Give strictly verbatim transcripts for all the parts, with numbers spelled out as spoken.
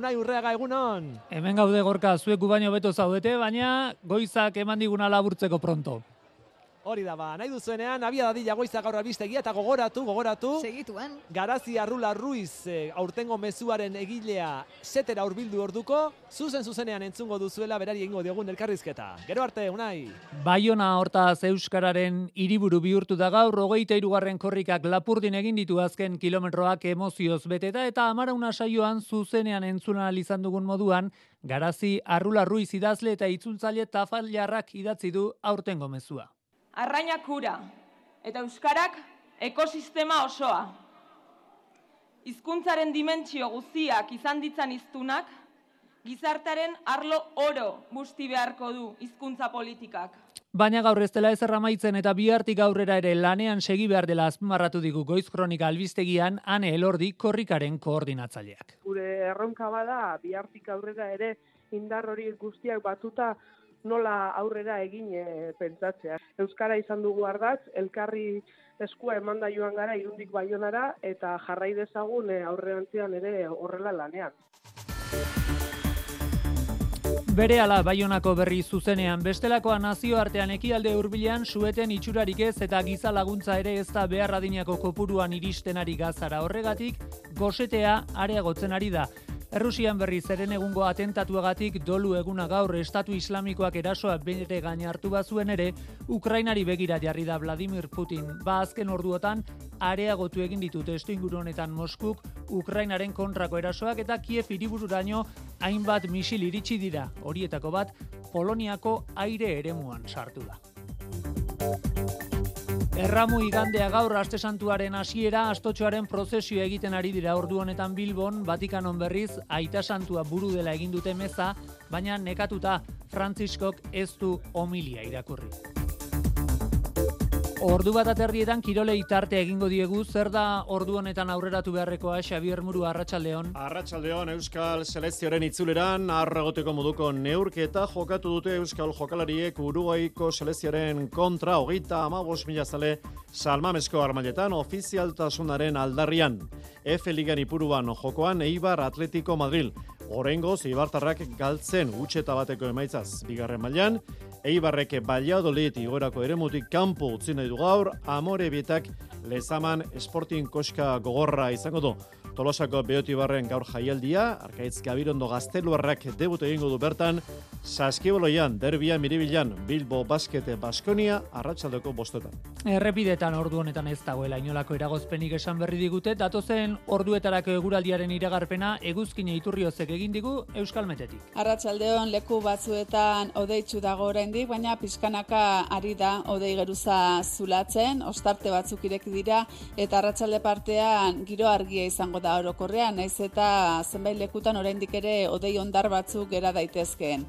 Unai Urreaga, egunon? Hemen gaude Gorka, zuek gu baino beto zaudete, baina goizak eman diguna laburtzeko pronto. Hori da ba, nahi duzuenean, abia dadila goiza gaur albistegia eta gogoratu, gogoratu. Segituan. Garazi Arrula Ruiz, e, aurtengo mezuaren egilea setera hurbildu orduko, zuzen zuzenean entzungo duzuela berari egingo diogun elkarrizketa. Gero arte, Unai. Baiona hortaz euskararen hiriburu bihurtu da gaur, hogeita hirugarren korrikak Lapurdin egin ditu azken kilometroak emozioz beteta eta amarauna saioan zuzenean entzuna izan dugun moduan, Garazi Arrula Ruiz idazle eta itzultzaile tafallarrak idatzi du aurtengo mezua. Arrainak ura eta euskarak ekosistema osoa. Hizkuntzaren dimentsio guztiak izan ditzan hiztunak, gizartearen arlo oro busti beharko du hizkuntza politikak. Baina gaur ez dela ezer amaitzen eta bihartik aurrera ere lanean segi behar dela azpimarratu digu Goiz Kronika albistegian Ane Elordi korrikaren koordinatzaileak. Gure erronka bada bihartik aurrera ere indar hori guztiak batuta nola aurrera egin e, pentsatzea. Euskara izan dugu ardatz, elkarri eskua emanda joan gara Irundik Baionara eta jarrai dezagun e, aurrerantzean ere horrela lanean. Berehala Baionako berri zuzenean, bestelakoa nazioartean ekialde hurbilean sueten itxurarik ez eta giza laguntza ere ez da behar adinako kopuruan iristen ari gazara. Horregatik, gosetea areagotzen ari da. Errusian berriz eren egungo atentatuagatik dolu eguna gaur Estatu Islamikoak erasoa bere gain hartu bazuen ere, Ukrainari begira jarri da Vladimir Putin. Ba azken orduotan areagotu egin ditu testuinguru honetan Moskuk Ukrainaren kontrako erasoak eta Kiev hiribururaino hainbat misil iritsi dira. Horietako bat Poloniako aire eremuan sartu da. Erramu igandea gaur aste santuaren hasiera astotxoaren prozesioa egiten ari dira ordu honetan Bilbon, Vatikanon berriz aita santua buru dela egin dute meza, baina nekatuta Frantziskok ez du homilia irakurri. Ordu bat aterdietan kirolei tartea egingo diegu, zer da ordu honetan aurreratu beharrekoa, Xabier Muru, arratsaldeon. Arratsaldeon, Euskal selekzioaren itzuleran arragoteko moduko neurketa jokatu dute Euskal jokalariek Uruguaiko selekzioaren kontra hogeita hamabost mila zale Salmamesko armailetan ofizialtasunaren aldarrian. F Ligan ipuruan jokoan Eibar Atletico Madrid. Oraingoz Eibartarrak galtzen gutxeta bateko emaitzaz bigarren mailan, Eibarrek Valladolid igorako eremutik kanpo utzi nahi du gaur, Amorebietak Lezaman Sporting koska gogorra izango du. Tolosako Beotibarren gaur jaialdia, Arkaitz Gabirondo Gazteluarrak debut egingo du bertan, Saskiboloian, Derbia Miribilan, Bilbo Basket Baskonia, arratsaldeko bostetan. Errepidetan ordu honetan ez dagoela inolako eragozpenik esan berri digute, datozen orduetarako eguraldiaren iragarpena eguzkine Iturriozek egin digu Euskalmetetik. Arratsaldeon leku batzuetan hodeitsu dago oraindik, baina pixkanaka ari da hodei geruza zulatzen, ostarte batzuk ireki dira eta arratsalde partean giro argia izango da orokorrean, naiz eta zenbait lekutan oraindik ere hodei hondar batzuk gera daitezkeen.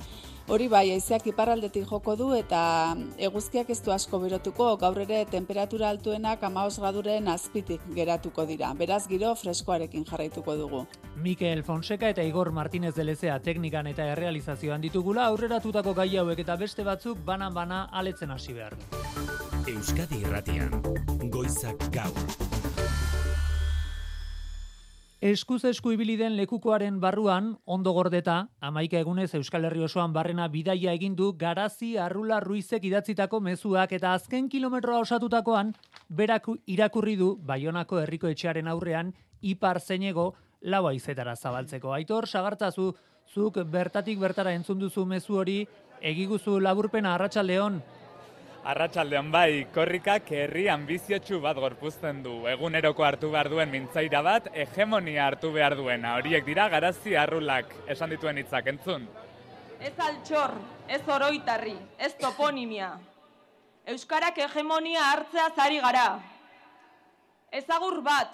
Hori bai, haizeak iparraldetik joko du eta eguzkiak ez du asko berotuko, gaur ere temperatura altuenak hamabost graduren azpitik geratuko dira. Beraz giro freskoarekin jarraituko dugu. Mikel Fonseca eta Igor Martínez de Lezea teknikan eta errealizazioan ditugula, aurreratutako gai hauek eta beste batzuk banan-bana aletzen hasi behar du. Euskadi Irratian, goizak gaur. Eskuz esku ibili den lekukoaren barruan, ondo gordeta, hamaika egunez Euskal Herri osoan barrena bidaia egin du Garazi Arrula Ruizek idatzitako mezuak eta azken kilometroa osatutakoan, berak irakurri du Baionako herriko etxearen aurrean ipar zeinego lau haizetara zabaltzeko. Aitor, sagartzazu, zuk bertatik bertara entzun duzu mezu hori, egiguzu laburpena arratsaldeon. Arratsaldean bai, korrikak herri anbiziotsu bat gorpuzten du. Eguneroko hartu behar duen mintzaira bat, hegemonia hartu behar duena. Horiek dira Garazi Arrulak esan dituen hitzak entzun. Ez altxor, ez oroitarri, ez toponimia. Euskarak hegemonia hartzea zari gara. Ez agur bat,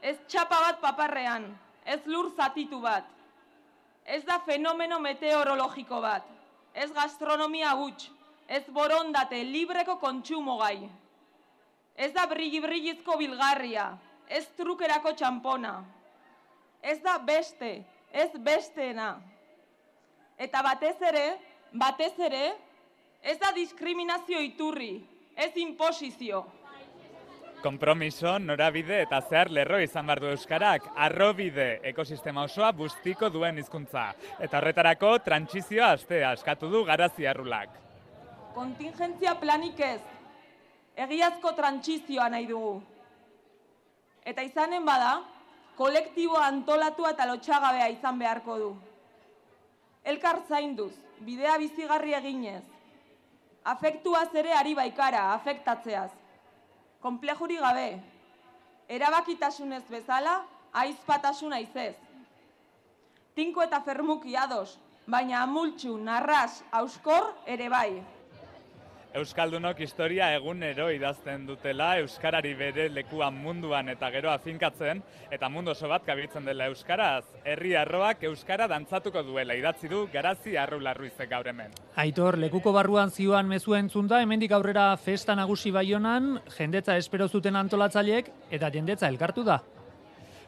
ez txapa bat paparrean, ez lur zatitu bat. Ez da fenomeno meteorologiko bat, ez gastronomia huts. Ez borondate libreko kontsumo gai. Ez da brigi-brigizko bilgarria, ez trukerako txampona. Ez da beste, ez besteena. Eta batez ere, batez ere, ez da diskriminazio iturri, ez imposizio. Konpromiso, norabide eta zehar lerro izan behar du euskarak, arrobide ekosistema osoa bustiko duen hizkuntza. Eta horretarako trantsizioa astea eskatu du Garazi Arrulak. Kontingentzia planik ez, egiazko trantsizioa nahi dugu. Eta izanen bada, kolektiboa antolatua eta lotxagabea izan beharko du. Elkar zainduz, bidea bizigarri eginez. Afektuaz ere ari baikara, afektatzeaz. Konplejuri gabe, erabakitasunez bezala, aizpatasun aizez. Tinko eta fermuki ados, baina amultxu, narras, auskor ere bai. Euskaldunok historia egunero idazten dutela, euskarari bere lekuan munduan eta gero afinkatzen, eta mundu oso bat kabiltzen dela euskaraz. Herri arroak euskara dantzatuko duela idatzi du Garazi Arrula Ruizek gaur hemen. Aitor, lekuko barruan zioan mezua entzunda, hemendik aurrera festa nagusi Baionan, jendetza espero zuten antolatzaileek eta jendetza elkartu da.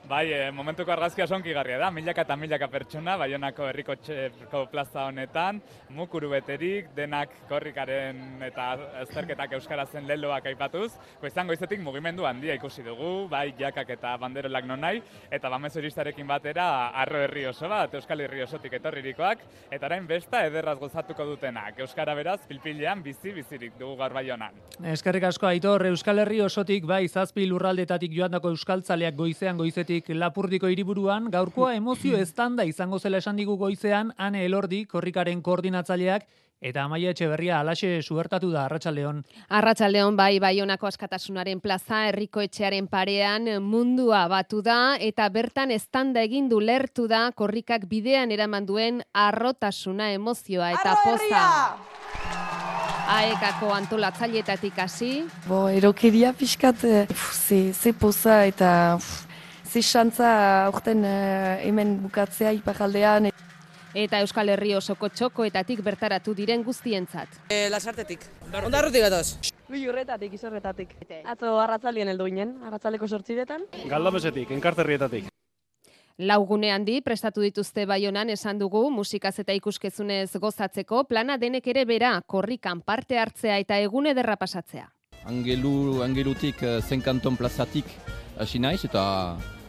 Bai, e, momentuko argazkia sonkigarria da, milaka eta milaka pertsona, Baionako herriko txeko plaza honetan, mukuru beterik, denak korrikaren eta azterketak euskarazen leloak aipatuz, goizan goizetik mugimendu handia ikusi dugu, bai jakak eta banderolak nonai, eta bamezuristarekin batera arro herri oso bat, Euskal Herri osotik etorririkoak, eta orain besta ederraz gozatuko dutenak, euskara beraz pilpilean bizi-bizirik dugu gaur Baionan. Eskerrik asko Aitor, Euskal Herri osotik bai zazpi lurraldetatik joandako euskaltzaleak goizean goizetik Lapurdiko hiriburuan, gaurkoa emozio estanda izango zela esan digu goizean, Ane Elordi, korrikaren koordinatzaileak, eta Amaia Etxeberria alaxe suertatu da, Arratsaldeon. Arratsaldeon bai, Baionako Askatasunaren plaza, herriko etxearen parean mundua batu da, eta bertan estanda egin du lertu da, korrikak bidean eraman duen arrotasuna, emozioa eta poza. Aekako antolatzaileetatik hasi. Bo, erokeria pixkat, ze, ze poza eta... Uf, ze xantza aurten uh, hemen bukatzea iparaldean. Eta Euskal Herri osoko txokoetatik bertaratu diren guztientzat. E, Lasartetik. Ondarrutik gatoz. Bi urretatik, izorretatik. Atzo arratzaldien heldu ginen, arratzaldeko sortziretan. Galdamesetik, enkarterrietatik. Laugune handi prestatu dituzte Baionan esan dugu musikaz eta ikuskizunez gozatzeko, plana denek ere bera, korrikan parte hartzea eta egun ederra pasatzea. Angelu, angelutik zenkanton plazatik hasi naiz eta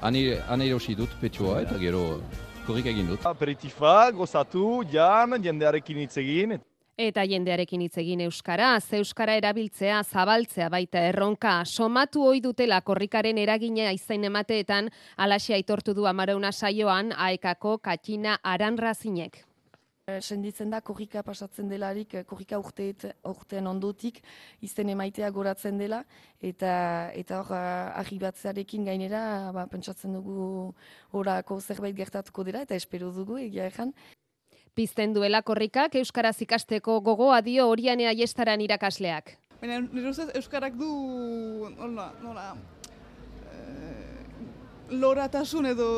han erosi dut petxoa eta gero korrika egin dut. Aperitifa, gozatu, jan, jendearekin hitz egin. Eta jendearekin hitz egin euskaraz, euskara erabiltzea, zabaltzea baita erronka, somatu ohi dutela korrikaren eragina izain emateetan, alaxe aitortu du Amarauna saioan Aekako Katina Aranrazinek. Senditzen da korrika pasatzen delarik, korrika urteet, urtean ondotik izen emaitea goratzen dela, eta eta hor arribatzearekin gainera, ba, pentsatzen dugu horako zerbait gertatuko dela, eta espero dugu egia egan. Pizten duela korrikak euskaraz ikasteko gogoa dio Oriane Aiestaran irakasleak. Baina nire ustez euskarak du nola, nola, e, loratasun edo,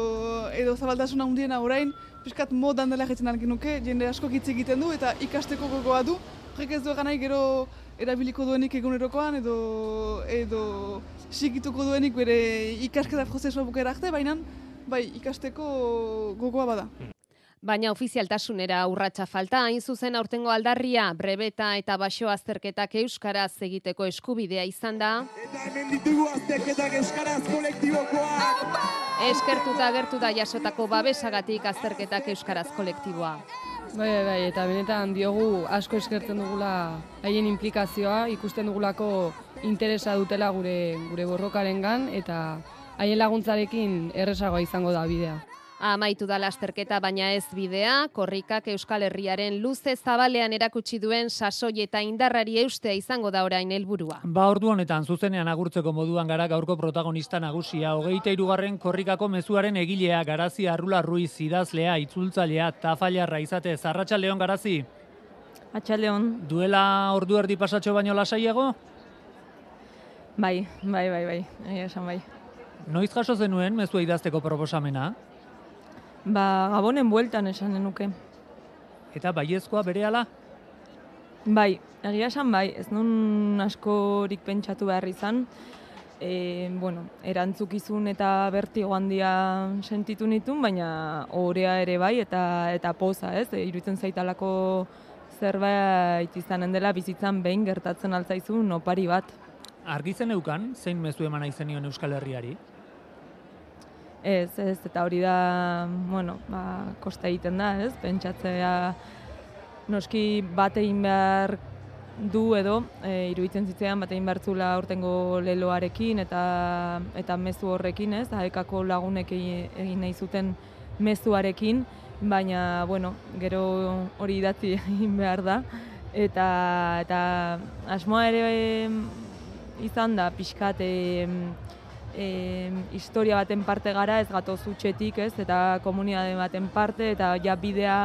edo zabaltasun handiena orain, piskat modan dela jetzen algin nuke, jende asko hitz egiten du eta ikasteko gogoa du. Horrek ez du egan nahi gero erabiliko duenik egunerokoan edo, edo sikituko duenik bere ikasketa prozesua bukera arte, baina bai, ikasteko gogoa bada. Baina ofizialtasunera urratsa falta, hain zuzen aurtengo aldarria, brebeta eta baxo azterketak euskaraz egiteko eskubidea izan da. Eta hemen ditugu azterketak euskaraz kolektibokoak! Eskertuta agertu da jasotako babesagatik azterketak euskaraz kolektiboa. Bai, bai, bai, eta benetan diogu asko eskertzen dugula haien implikazioa, ikusten dugulako interesa dutela gure, gure borrokarengan eta haien laguntzarekin erresagoa izango da bidea. Amaitu da lasterketa baina ez bidea, korrikak Euskal Herriaren luze zabalean erakutsi duen sasoi eta indarrari eustea izango da orain helburua. Ba ordu honetan zuzenean agurtzeko moduan gara gaurko protagonista nagusia, hogeita hirugarren korrikako mezuaren egilea, Garazi Arrula Ruiz, idazlea, itzultzailea, tafailarra izatez. Arratsaldeon Garazi. Arratsaldeon. Duela ordu erdi pasatxo baino lasaiago? Bai, bai, bai, bai, egia esan bai. Noiz jaso zenuen mezua idazteko proposamena? Ba, Gabonen bueltan esan denuke. Eta baiezkoa berehala? Bai, egia esan bai, ez nun askorik pentsatu behar izan. E, bueno, erantzukizun eta bertigo handia sentitu nitun, baina orea ere bai eta eta poza, ez? E, iruditzen zaitalako zerbait izanen dela bizitzan behin gertatzen altzaizun opari bat. argitzen eukan, zein mezu eman nahi zenion Euskal Herriari? Ez, ez, eta hori da, bueno, ba, kosta egiten da, ez? Pentsatzea noski bat egin behar du edo, e, iruditzen zitzean bat egin behar zula aurtengo leloarekin eta eta mezu horrekin, ez? Aekako lagunek egin nahi zuten mezuarekin, baina, bueno, gero hori idatzi egin behar da. Eta, eta asmoa ere e, izan da, pixkat, e, e, historia baten parte gara, ez gatoz utxetik, ez? Eta komunitate baten parte, eta ja bidea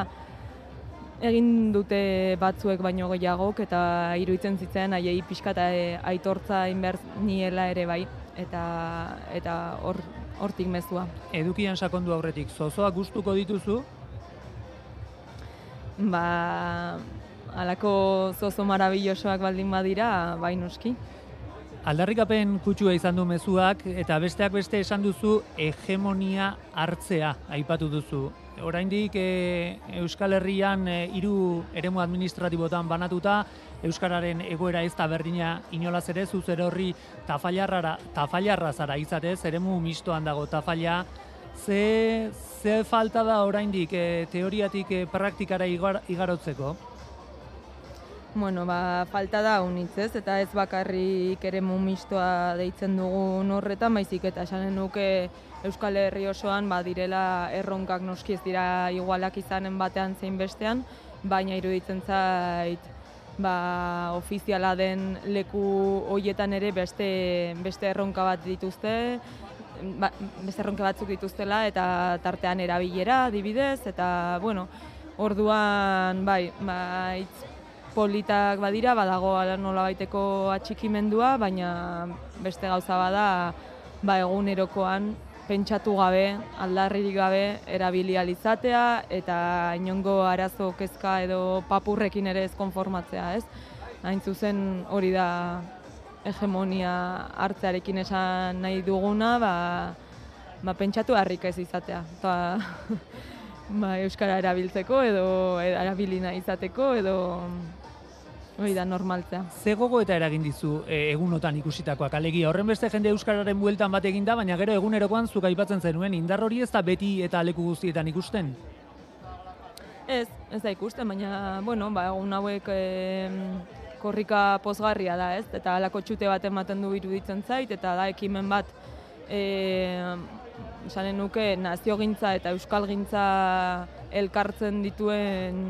egin dute batzuek baino gehiagok, eta iruditzen zitzen haiei pixkat aitortza egin behar niela ere bai, eta eta hor hortik mezua. Edukian sakondu aurretik, zozoak gustuko dituzu? Ba, halako zozo marabillosoak baldin badira, bai noski. Aldarrikapen kutsua izan du mezuak, eta besteak beste esan duzu hegemonia hartzea aipatu duzu. Oraindik e, Euskal Herrian e, hiru eremu administratibotan banatuta, euskararen egoera ez da berdina inolaz ere, zuzer horri tafailarra tafailarra zara izatez, eremu mistoan dago tafaila. Ze, ze falta da oraindik e, teoriatik e, praktikara igar, igarotzeko? Bueno, ba, falta da unitzez, eta ez bakarrik eremu mistoa deitzen dugun horretan, baizik eta esanen nuke Euskal Herri osoan badirela erronkak noski ez dira igualak izanen batean zein bestean, baina iruditzen zait ba, ofiziala den leku hoietan ere beste, beste erronka bat dituzte, ba, beste erronka batzuk dituztela eta tartean erabilera, adibidez, eta bueno, orduan bai, ba, itz politak badira, badago nolabaiteko atxikimendua, baina beste gauza bada ba, egunerokoan pentsatu gabe, aldarririk gabe, erabili ahal izatea eta inongo arazo kezka edo papurrekin ere ez konformatzea, ez? Hain zuzen hori da hegemonia hartzearekin esan nahi duguna, ba, ba pentsatu harrik ez izatea. Ta, ba, euskara erabiltzeko edo erabilina izateko edo hori da normaltzea. Ze gogoeta eragin dizu e, egunotan ikusitakoak, alegia horren beste jende euskararen bueltan bat egin da, baina gero egunerokoan zuk aipatzen zenuen indar hori ez da beti eta leku guztietan ikusten? Ez, ez da ikusten, baina bueno, ba, egun hauek e, korrika pozgarria da, ez? Eta halako txute bat ematen du iruditzen zait, eta da ekimen bat e, esanen nuke naziogintza eta euskalgintza elkartzen dituen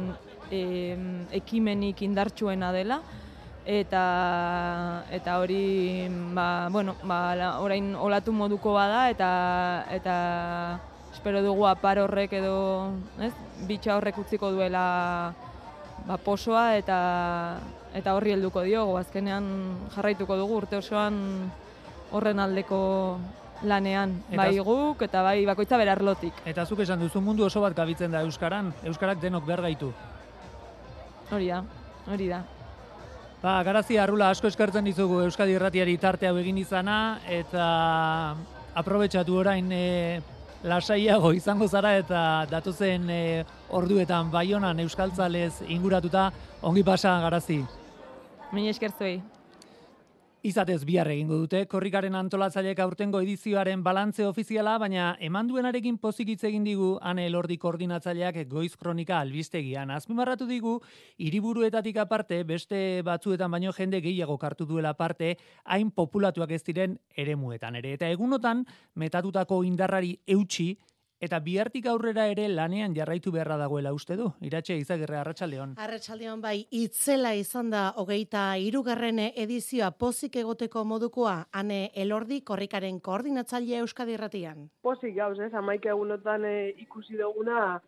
E, ekimenik indartsuena dela eta eta hori ba, bueno, ba, orain olatu moduko bada eta eta espero dugu apar horrek edo, ez? Bitxa horrek utziko duela ba, posoa eta eta horri helduko diogu. Azkenean jarraituko dugu urte osoan horren aldeko lanean, eta bai guk eta bai bakoitza berarlotik. Eta zuk esan duzu mundu oso bat gabitzen da euskaran, euskarak denok behar gaitu. Hori da, hori da. Ba, Garazi Arrula, asko eskertzen dizugu Euskadi Irratiari tarte hau egin izana, eta aprobetxatu orain e, lasaiago izango zara eta datozen e, orduetan Baionan euskaltzalez inguratuta, ongi pasa, Garazi. Mila esker zuei. Izatez bihar egingo dute, korrikaren antolatzaileek aurtengo edizioaren balantze ofiziala, baina eman duenarekin pozik hitz egin digu Ane Elordi koordinatzaileak Goiz Kronika albistegian. Azpimarratu digu, hiriburuetatik aparte, beste batzuetan baino jende gehiago kartu duela parte, hain populatuak ez diren eremuetan ere. Eta egunotan, metatutako indarrari eutxi, eta bihartik aurrera ere lanean jarraitu beharra dagoela uste du. Iratxe Izagirre, Arratsaldeon. Arratsaldeon bai, itzela izan da hogeita hirugarren edizioa pozik egoteko modukoa, Ane Elordi korrikaren koordinatzailea Euskadi Irratian. Pozik gauz, ez, hamaika egunotan e, ikusi duguna,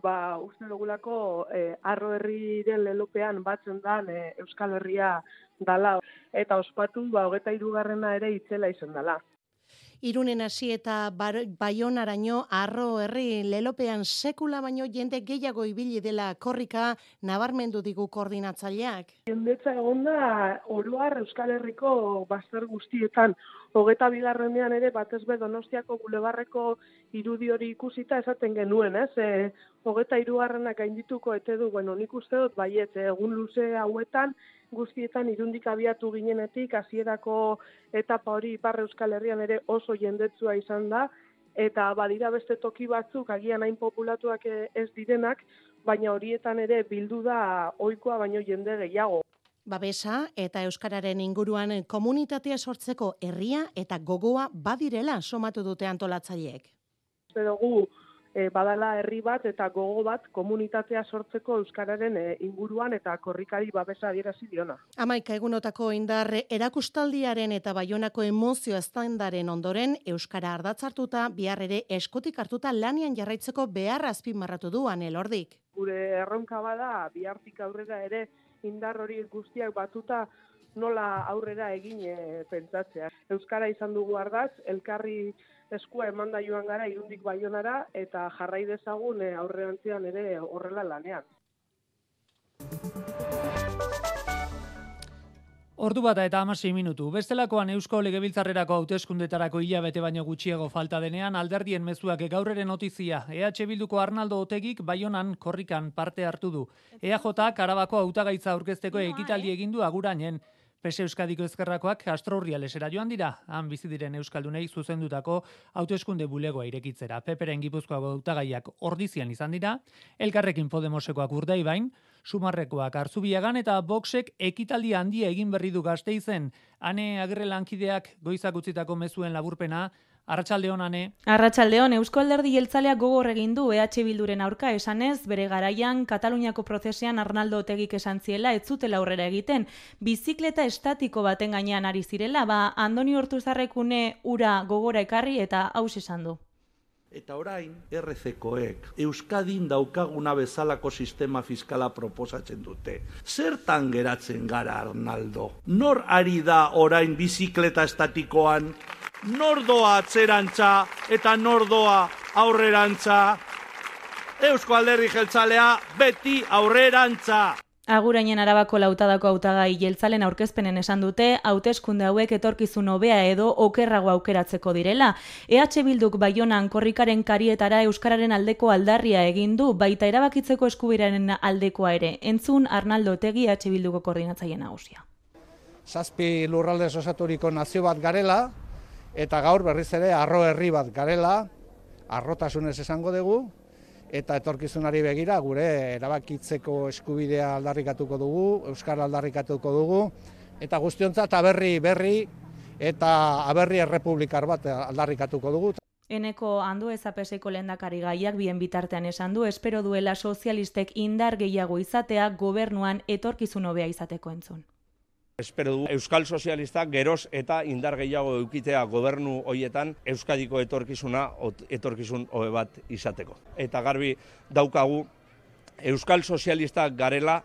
ba, uste dugulako e, Arro Herriren lelopean batzen dan e, Euskal Herria dala. Eta ospatu, ba, hogeita hirugarrena ere itzela izan dala. Irunen hasi eta Baionaraino Arro Herri lelopean sekula baino jende gehiago ibili dela korrika nabarmendu digu koordinatzaileak. Jendetza egon da oroar Euskal Herriko bazter guztietan Hogeta bigarrenean ere batez be Donostiako bulebarreko irudi hori ikusita esaten genuen, ez? E, hogeta hirugarrenak gaindituko ete du, bueno, nik uste dut baiet, egun luze hauetan guztietan irundik abiatu ginenetik hasierako etapa hori Ipar Euskal Herrian ere oso jendetsua izan da, eta badira beste toki batzuk agian hain populatuak ez direnak, baina horietan ere bildu da ohikoa baino jende gehiago. Babesa eta euskararen inguruan komunitatea sortzeko herria eta gogoa badirela somatu dute antolatzaileek. Uste dugu e, badala herri bat eta gogo bat komunitatea sortzeko euskararen e, inguruan eta korrikari babesa adierazi diona. Hamaika egunotako indar erakustaldiaren eta Baionako emozio estandaren ondoren euskara ardatzartuta bihar ere eskutik hartuta lanian jarraitzeko beharra azpimarratu du Elordik. Gure erronka bada bihartik aurrera ere indar hori guztiak batuta nola aurrera egin e, pentsatzea. Euskara izan dugu ardatz, elkarri eskua emanda joan gara Irundik Baionara eta jarrai dezagun e, aurrerantzean ere horrela lanean. Ordu bata eta hamasei minutu. Bestelakoan Eusko Legebiltzarrerako hauteskundetarako hilabete baino gutxiago falta denean alderdien mezuak gaur ere notizia. E H Bilduko Arnaldo Otegik Baionan korrikan parte hartu du. E A Jk Arabako hautagaitza aurkezteko ekitaldi egin du Agurainen. P S Euskadiko Ezkerrakoak Castro Urrialesera joan dira, han bizi diren euskaldunei zuzendutako hauteskunde bulegoa irekitzera. Peperen Gipuzkoako hautagaiak Ordizian izan dira, Elkarrekin Podemosekoak Urdaibain, Sumarrekoak Arzubiagan eta Voxek ekitaldi handia egin berri du Gasteizen. Ane Agirre lankideak goizak utzitako mezuen laburpena. Arratsaldeon, Ane. Arratsaldeon, Eusko Alderdi Jeltzaleak gogor egin du E H Bilduren aurka esanez, bere garaian Kataluniako prozesean Arnaldo Otegik esan ziela ez zutela aurrera egiten. Bizikleta estatiko baten gainean ari zirela, ba Andoni Ortuzarrekune ura gogora ekarri eta haus esan du. Eta orain, R C koek Euskadin daukaguna bezalako sistema fiskala proposatzen dute. Zertan geratzen gara, Arnaldo? Nor ari da orain bizikleta estatikoan? Nordoa atzerantza eta nordoa aurrerantza. Eusko Alderdi Jeltzalea beti aurrerantza. Agurainen Arabako lautadako hautagai jeltzalen aurkezpenen esan dute, hauteskunde hauek etorkizun hobea edo okerrago aukeratzeko direla. E H Bilduk Baionan korrikaren karietara euskararen aldeko aldarria egin du, baita erabakitzeko eskubiraren aldekoa ere. Entzun Arnaldo Otegi E H Bilduko koordinatzaile nagusia. Zazpi lurraldez osaturiko nazio bat garela, eta gaur berriz ere arro herri bat garela, arrotasunez esango dugu, eta etorkizunari begira gure erabakitzeko eskubidea aldarrikatuko dugu, euskara aldarrikatuko dugu, eta guztiontzat aberri berri eta aberri errepublikar bat aldarrikatuko dugu. Eneko Andueza P Seko lehendakari gaiak bien bitartean esan du, espero duela sozialistek indar gehiago izatea gobernuan etorkizun hobea izateko entzun. Espero du Euskal Sozialistak geroz eta indar gehiago eukitea gobernu hoietan Euskadiko etorkizuna etorkizun hobe bat izateko. Eta garbi daukagu Euskal Sozialistak garela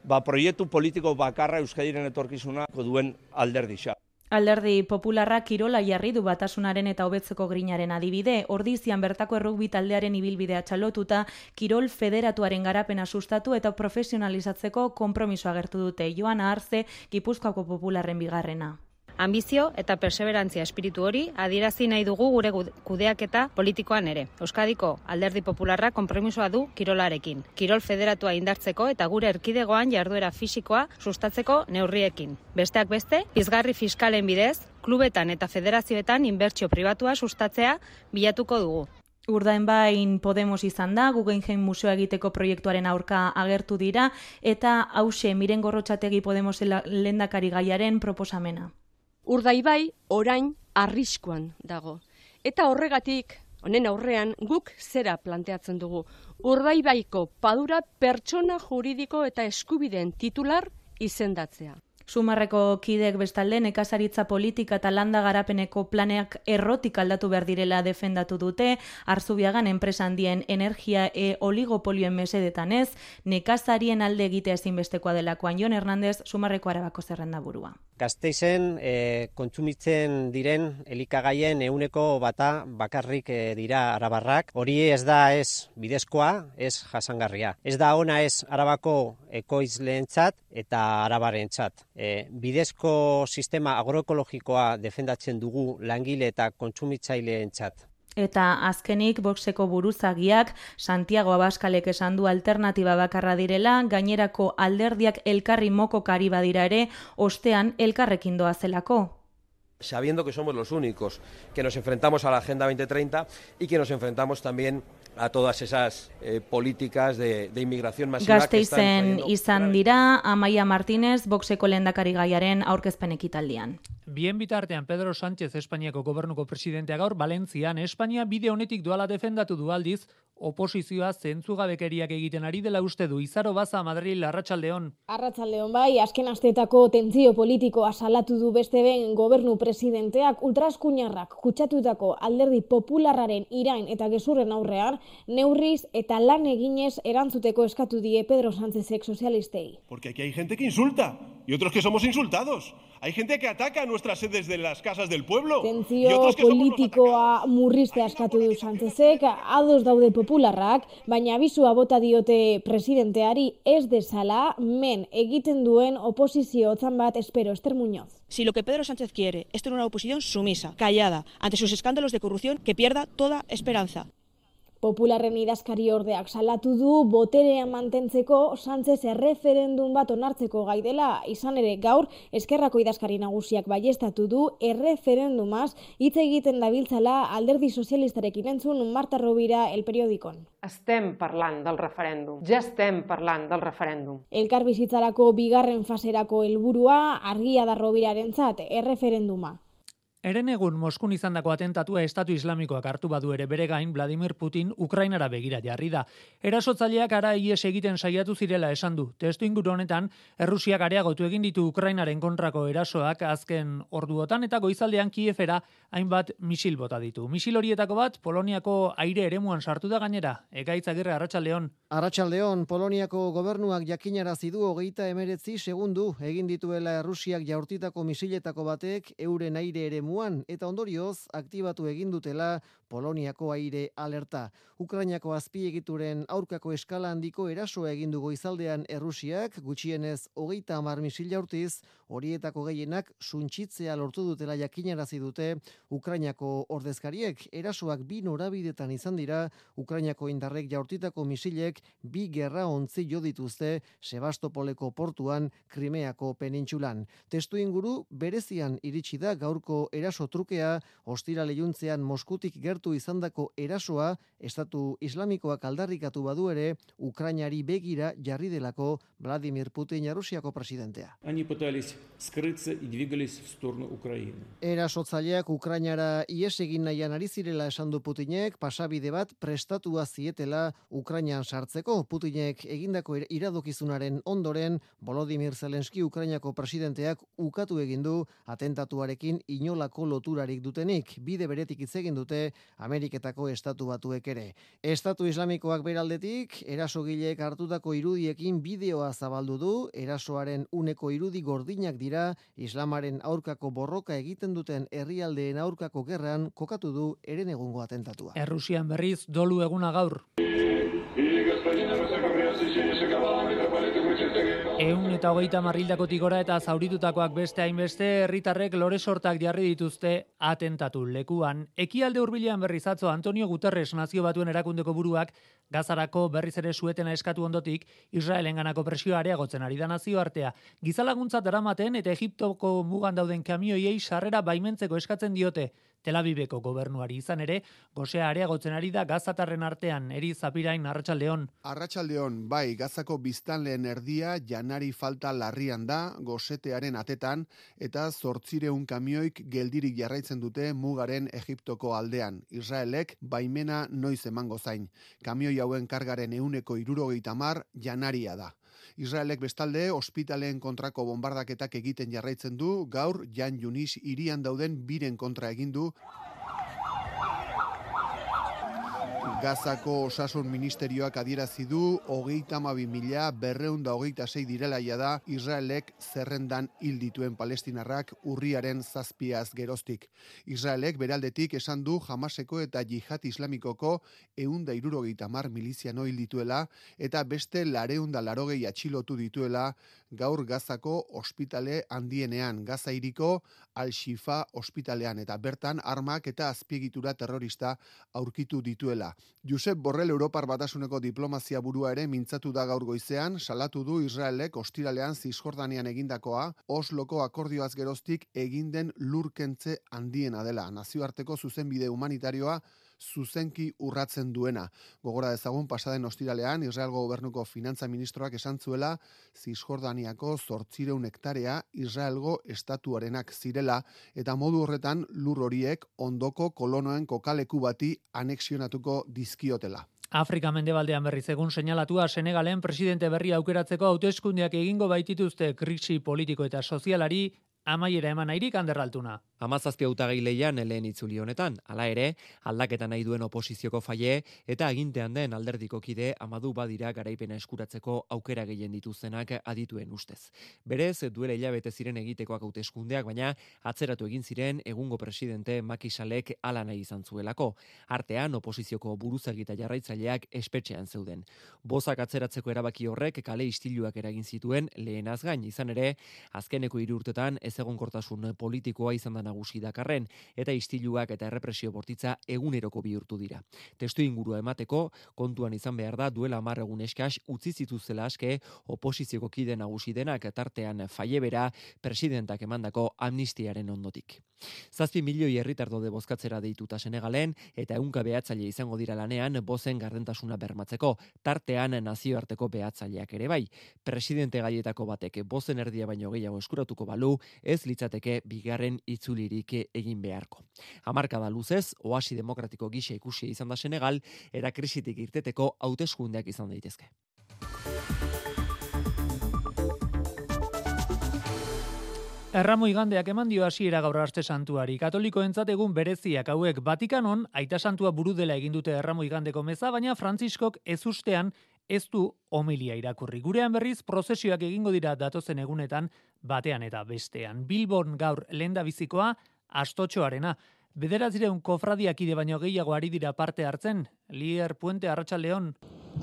ba proiektu politiko bakarra Euskadiren etorkizuna duen alderdisa. Alderdi Popularra kirola jarri du batasunaren eta hobetzeko grinaren adibide, Ordizian bertako errugbi taldearen ibilbidea txalotuta, kirol federatuaren garapena sustatu eta profesionalizatzeko konpromiso agertu dute. Joana Arze, Gipuzkoako Popularren bigarrena. Ambizio eta perseverantzia espiritu hori adierazi nahi dugu gure kudeaketa politikoan ere. Euskadiko Alderdi Popularra konpromisoa du kirolarekin. Kirol federatua indartzeko eta gure erkidegoan jarduera fisikoa sustatzeko neurriekin. Besteak beste, pizgarri fiskalen bidez, klubetan eta federazioetan inbertsio pribatua sustatzea bilatuko dugu. Urdainbain Podemos izan da, Guggenheim Museoa egiteko proiektuaren aurka agertu dira, eta hause Miren Gorrotxategi Podemos lehendakari gaiaren proposamena. Urdaibai orain arriskuan dago. Eta horregatik, honen aurrean, guk zera planteatzen dugu. Urdaibaiko padura pertsona juridiko eta eskubideen titular izendatzea. Sumarreko kideek bestalde nekazaritza politika eta landa garapeneko planeak errotik aldatu behar direla defendatu dute, Arzubiagan enpresa handien energia e oligopolioen mesedetan ez, nekazarien alde egitea ezinbestekoa delakoan. Jon Hernandez, Sumarreko Arabako zerrendaburua. Gasteizen e, kontsumitzen diren elikagaien ehuneko bata bakarrik e, dira arabarrak. Hori ez da ez bidezkoa, ez jasangarria. Ez da ona ez Arabako ekoizleentzat eta arabarentzat. E, bidezko sistema agroekologikoa defendatzen dugu langile eta kontsumitzaileentzat. Eta azkenik Voxeko buruzagiak Santiago Abaskalek esan du alternatiba bakarra direla, gainerako alderdiak elkarri mokokari badira ere, ostean elkarrekin doazelako. Sabiendo que somos los únicos que nos enfrentamos a la Agenda veinte treinta y que nos enfrentamos también a todas esas eh, políticas de, de inmigración masiva. Gasteizen izan dira, Amaia Martínez, Voxeko lehendakari gaiaren aurkezpen ekitaldian. Bien bitartean Pedro Sánchez Espainiako gobernuko presidentea gaur Valentzian Espainia bide honetik doala defendatu du aldiz, oposizioa zentzugabekeriak egiten ari dela uste du. Izaro Baza, Madril, Arratsaldeon. Arratsaldeon bai, azken asteetako tentsio politikoa salatu du beste ben gobernu presidenteak ultraeskuinarrak kutsatutako alderdi popularraren irain eta gezurren aurrean, neurriz eta lan eginez erantzuteko eskatu die Pedro Sánchezek sozialistei. Porque aquí hay gente que insulta y otros que somos insultados. Hay gente que ataca nuestras sedes de las casas del pueblo. Tentzio politikoa murriztea eskatu du Sánchezek, ados daude popularrak, baina abisua bota diote presidenteari ez dezala men egiten duen oposizio otzan bat espero. Ester Muñoz. Si lo que Pedro Sánchez quiere es tener una oposición sumisa, callada, ante sus escándalos de corrupción, que pierda toda esperanza. Popularren idazkari ordeak salatu du boterean mantentzeko Sánchez erreferendum bat onartzeko gai dela, izan ere gaur Eskerrako idazkari nagusiak baiestatu du erreferendumaz hitz egiten dabiltzala alderdi sozialistarekin entzun Marta Rovira El Periodikon. Estem parlant del referèndum, ja estem parlant del referèndum. Elkar bizitzarako bigarren faserako helburua argia da Rovirarentzat erreferenduma. Eren egun Moskun izandako atentatua Estatu Islamikoak hartu badu ere bere gain Vladimir Putin Ukrainara begira jarri da. Erasotzaileak ara ies egiten saiatu zirela esan du. Testuinguru honetan, Errusiak areagotu egin ditu Ukrainaren kontrako erasoak azken orduotan eta goizaldean Kievera hainbat misil bota ditu. Misil horietako bat Poloniako aire eremuan sartu da gainera. Ekaitz Agirre, Arratsaldeon. Arratsaldeon, Poloniako gobernuak jakinarazi du hogeita hemeretzi segundu egin dituela Errusiak jaurtitako misiletako batek euren aire eremuan eta ondorioz aktibatu egin dutela Poloniako aire alerta. Ukrainako azpiegituren aurkako eskala handiko erasoa egin du goizaldean Errusiak, gutxienez hogeita hamar misil jaurtiz, horietako gehienak suntsitzea lortu dutela jakinarazi dute Ukrainako ordezkariek. Erasoak bi norabidetan izan dira, Ukrainako indarrek jaurtitako misilek bi gerra ontzi jo dituzte Sebastopoleko portuan, Krimeako penintsulan. Testuinguru berezian iritsi da gaurko eraso trukea, ostirale juntzean Moskutik gertu izandako erasoa Estatu Islamikoak aldarrikatu badu ere Ukrainari begira jarri delako Vladimir Putin Errusiako presidentea. Они пытались скрыться и двигались в сторону Украины. Erasotzaileak Ukrainara ihes egin nahian ari zirela esan du Putinek, pasabide bat prestatua zietela Ukrainan sartzeko. Putinek egindako iradokizunaren ondoren Volodymyr Zelensky Ukrainako presidenteak ukatu egin du atentatuarekin inolako loturarik dutenik. Bide beretik hitz egin dute Ameriketako estatu batuek ere. Estatu Islamikoak beraldetik erasogileek hartutako irudiekin bideoa zabaldu du. Erasoaren uneko irudi gordinak dira Islamaren aurkako borroka egiten duten herrialdeen aurkako gerran kokatu du eren egungo atentatua. Errusian berriz dolu eguna gaur. Ehun eta hogeita marrildakotik gora eta zauritutakoak beste hainbeste herritarrek lore sortak jarri dituzte atentatu lekuan. Ekialde hurbilean berriz atzo Antonio Guterres nazio batuen erakundeko buruak Gazarako berriz ere suetena eskatu ondotik Israelenganako presioa areagotzen ari da nazioartea. Gizalaguntza daramaten eta Egiptoko mugan dauden kamioiei sarrera baimentzeko eskatzen diote. Tel Aviveko gobernuari izan ere, gosea areagotzen ari da gazatarren artean. Eri Zapirain, Arratsaldeon. Arratsaldeon, bai, Gazako biztanleen erdia janari falta larrian da, gosetearen atetan, eta zortzireun kamioik geldirik jarraitzen dute mugaren Egiptoko aldean. Israelek baimena noiz emango zain. Kamioi hauen kargaren ehuneko hirurogeita hamar janaria da. Israelek bestalde ospitaleen kontrako bombardaketak egiten jarraitzen du, gaur Jan Yunis hirian dauden biren kontra egin du. Gazako osasun ministerioak adierazi du hogeita hamabi mila berrehun eta hogeita sei direla jada Israelek zerrendan hil dituen palestinarrak urriaren zazpiaz geroztik. Israelek beraldetik esan du Hamaseko eta Jihad Islamikoko ehun eta hirurogeita hamar miliziano hil dituela eta beste laurehun eta laurogei atxilotu dituela gaur Gazako ospitale handienean, Gaza hiriko Al-Shifa ospitalean, eta bertan armak eta azpiegitura terrorista aurkitu dituela. Josep Borrell Europar Batasuneko diplomazia burua ere mintzatu da gaur goizean, salatu du Israelek ostiralean Zisjordanian egindakoa, Osloko akordioaz geroztik egin den lurkentze handiena dela. Nazioarteko zuzenbide humanitarioa zuzenki urratzen duena. Gogora dezagun pasaden ostiralean Israelgo gobernuko finantza ministroak esan zuela Zisjordaniako zortziehun hektarea Israelgo estatuarenak zirela eta modu horretan lur horiek ondoko kolonoen kokaleku bati anexionatuko dizkiotela. Afrika mendebaldean berriz egun seinalatua Senegalen presidente berri aukeratzeko hauteskundeak egingo baitituzte krisi politiko eta sozialari amaiera eman nahirik Ander Altuna. Hamazazpi hautagai leian lehen itzuli honetan, hala ere, aldaketa nahi duen oposizioko faie eta agintean den alderdiko kide amadu badira garaipena eskuratzeko aukera gehien dituztenak adituen ustez. Berez, duela hilabete ziren egitekoak hauteskundeak, baina atzeratu egin ziren egungo presidente Macky Sallek hala nahi izan zuelako. Artean, oposizioko buruzagi eta jarraitzaileak espetxean zeuden. Bozak atzeratzeko erabaki horrek kale istiluak eragin zituen lehenaz gain, izan ere, azkeneko hiru urtetan ez egonkortasun politikoa izan da nagusi Dakarren eta istiluak eta errepresio bortitza eguneroko bihurtu dira. Testu ingurua emateko kontuan izan behar da duela hamar egun eskas utzi zituztela aske oposizioko kide nagusi denak tartean faiebera presidentak emandako amnistiaren ondotik. Zazpi milioi herritar daude bozkatzera deituta Senegalen eta ehunka behatzaile izango dira lanean bozen gardentasuna bermatzeko, tartean nazioarteko behatzaileak ere bai. Presidente gaietako batek bozen erdia baino gehiago eskuratuko balu, ez litzateke bigarren itzulirik egin beharko. Hamarkada luzez, oasi demokratiko gisa ikusi izan da Senegal, era krisitik irteteko hauteskundeak izan daitezke. Erramo igandeak eman dio hasiera gaur aste santuari. Katolikoentzat egun bereziak hauek Batikanon aita santua buru dela egin dute Erramo igandeko meza, baina Frantziskok ezustean ez du homilia irakurri. Gurean berriz prozesioak egingo dira datozen egunetan batean eta bestean. Bilbon gaur lehendabizikoa Astotxoarena. Bederatzireun kofradiakide baino gehiago ari dira parte hartzen. Lier Puente, Arratsaldeon.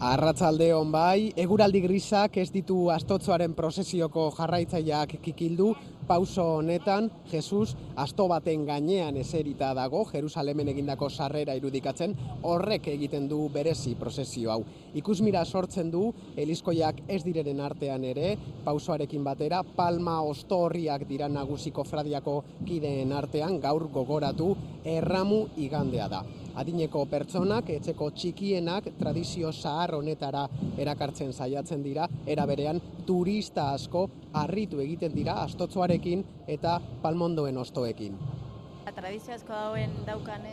Arratsaldeon bai, eguraldi grisak ez ditu Astotxoaren prozesioko jarraitzaileak kikildu. Pauso honetan, Jesus asto baten gainean eserita dago, Jerusalemen egindako sarrera irudikatzen, horrek egiten du berezi prozesio hau. Ikusmira sortzen du, eliskoiak ez direnen artean ere, pausoarekin batera, palma ostorriak dira nagusi kofradiako kideen artean, gaur gogoratu Erramu igandea da. Adineko pertsonak, etxeko txikienak, tradizio zahar honetara erakartzen saiatzen dira, era berean turista asko harritu egiten dira Astotxoarekin eta palmondoen ostoekin. Tradizio asko dauen daukan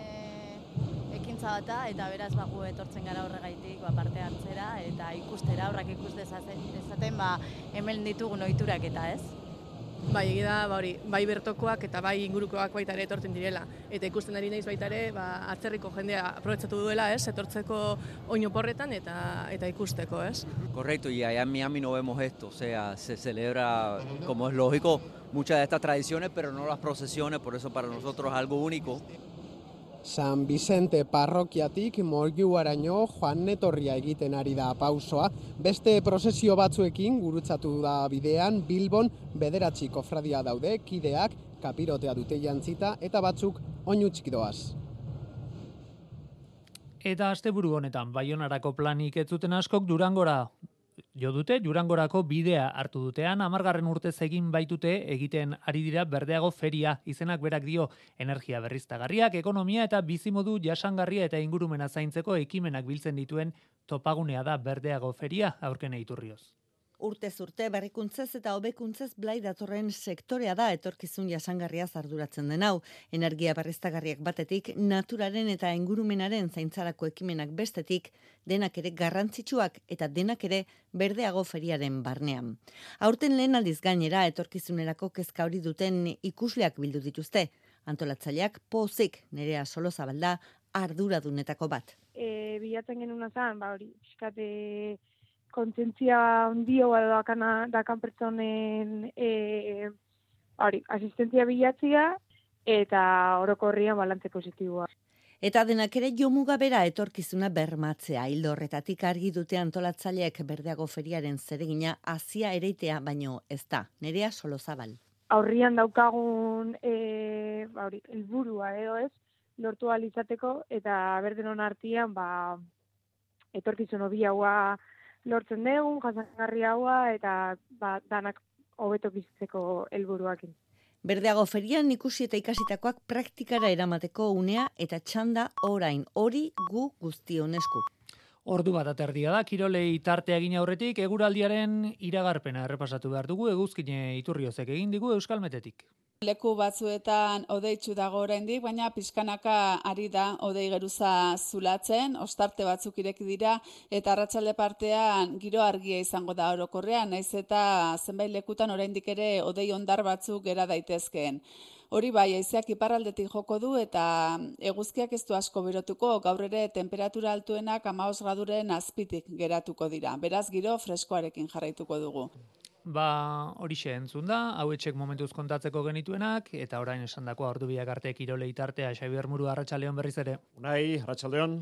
ekintza bata eta beraz bagu etortzen gara horregaitik ba, parte hartzera eta ikustera, horrak ikus dezaten ba, hemen ditugun ohiturak eta ez. Bai, egida, ba hori, bai bertokoak eta bai ingurukoak baita ere etortzen direla. Eta ikusten ari naiz baita ere, ba, atzerriko jendea aprobetxatu duela, ez, etortzeko oinu porretan eta eta ikusteko, ez. Correcto, y allá en Miami no vemos esto, o sea, se celebra, como es lógico, muchas de estas tradiciones, pero no las procesiones, por eso para nosotros es algo único. San Vicente parrokiatik Moiuaraino joan netorria egiten ari da pausoa. Beste prozesio batzuekin gurutzatu da bidean, Bilbon bederatzi kofradia daude, kideak kapirotea dute jantzita eta batzuk oinu txikidoaz. Eta asteburu honetan Baionarako planik ez zuten askok Durangora jo dute, Durangorako bidea hartu dutean, hamargarren urtez egin baitute egiten ari dira Berdeago feria, izenak berak dio energia berriztagarriak, ekonomia eta bizimodu jasangarria eta ingurumena zaintzeko ekimenak biltzen dituen topagunea da Berdeago feria, aurken Iturrioz. Urtez urte berrikuntzez eta hobekuntzez blai datorren sektorea da etorkizun jasangarria arduratzen den hau. Energia berriztagarriak batetik, naturaren eta ingurumenaren zaintzarako ekimenak bestetik, denak ere garrantzitsuak eta denak ere Berdeago feriaren barnean. Aurten lehen aldiz gainera etorkizunerako kezka hori duten ikusleak bildu dituzte. Antolatzaileak pozik Nerea Solozabalda arduradunetako bat. e, bilatzen genuna zen, ba hori, pixkate kontzientzia ondio edo dakana, dakan pertsonen e, hori, asistentzia bilatzia eta orokorrian balantze positiboa. Eta denak ere jomuga bera etorkizuna bermatzea. Hildo horretatik argi dute antolatzaileek Berdeago feriaren zeregina hasia ereitea baino ez da. Nerea Solozabal. Aurrian daukagun e, ba hori, helburua edo ez, lortu ahal izateko eta berdenon artean ba etorkizun hobiagoa lortzen dugu, jasangarriagoa eta ba danak hobeto bizitzeko helburuakin. Berdeago ferian ikusi eta ikasitakoak praktikara eramateko unea eta txanda orain hori gu guztion esku. Ordu bat aterdia da, kirolei tartea egin aurretik, eguraldiaren iragarpena errepasatu behar dugu, eguzkine Iturriozek egin digu Euskalmetetik. Leku batzuetan odeitsu dago oraindik, baina pixkanaka ari da odei geruza zulatzen, ostarte batzuk ireki dira, eta arratsalde partean giro argia izango da orokorrean, naiz eta zenbait lekutan oraindik ere odei ondar batzuk gera daitezkeen. Hori bai, haizeak iparraldetik joko du eta eguzkiak ez du asko berotuko, gaur ere temperatura altuenak hamabost graduren azpitik geratuko dira. Beraz, giro freskoarekin jarraituko dugu. Ba, horixe entzun da, hauetxek momentuz kontatzeko genituenak, eta orain esandakoa ordu biak arte kirolei tartea, Xabier Muru, arratsaldeon berriz ere. Unai, arratsaldeon.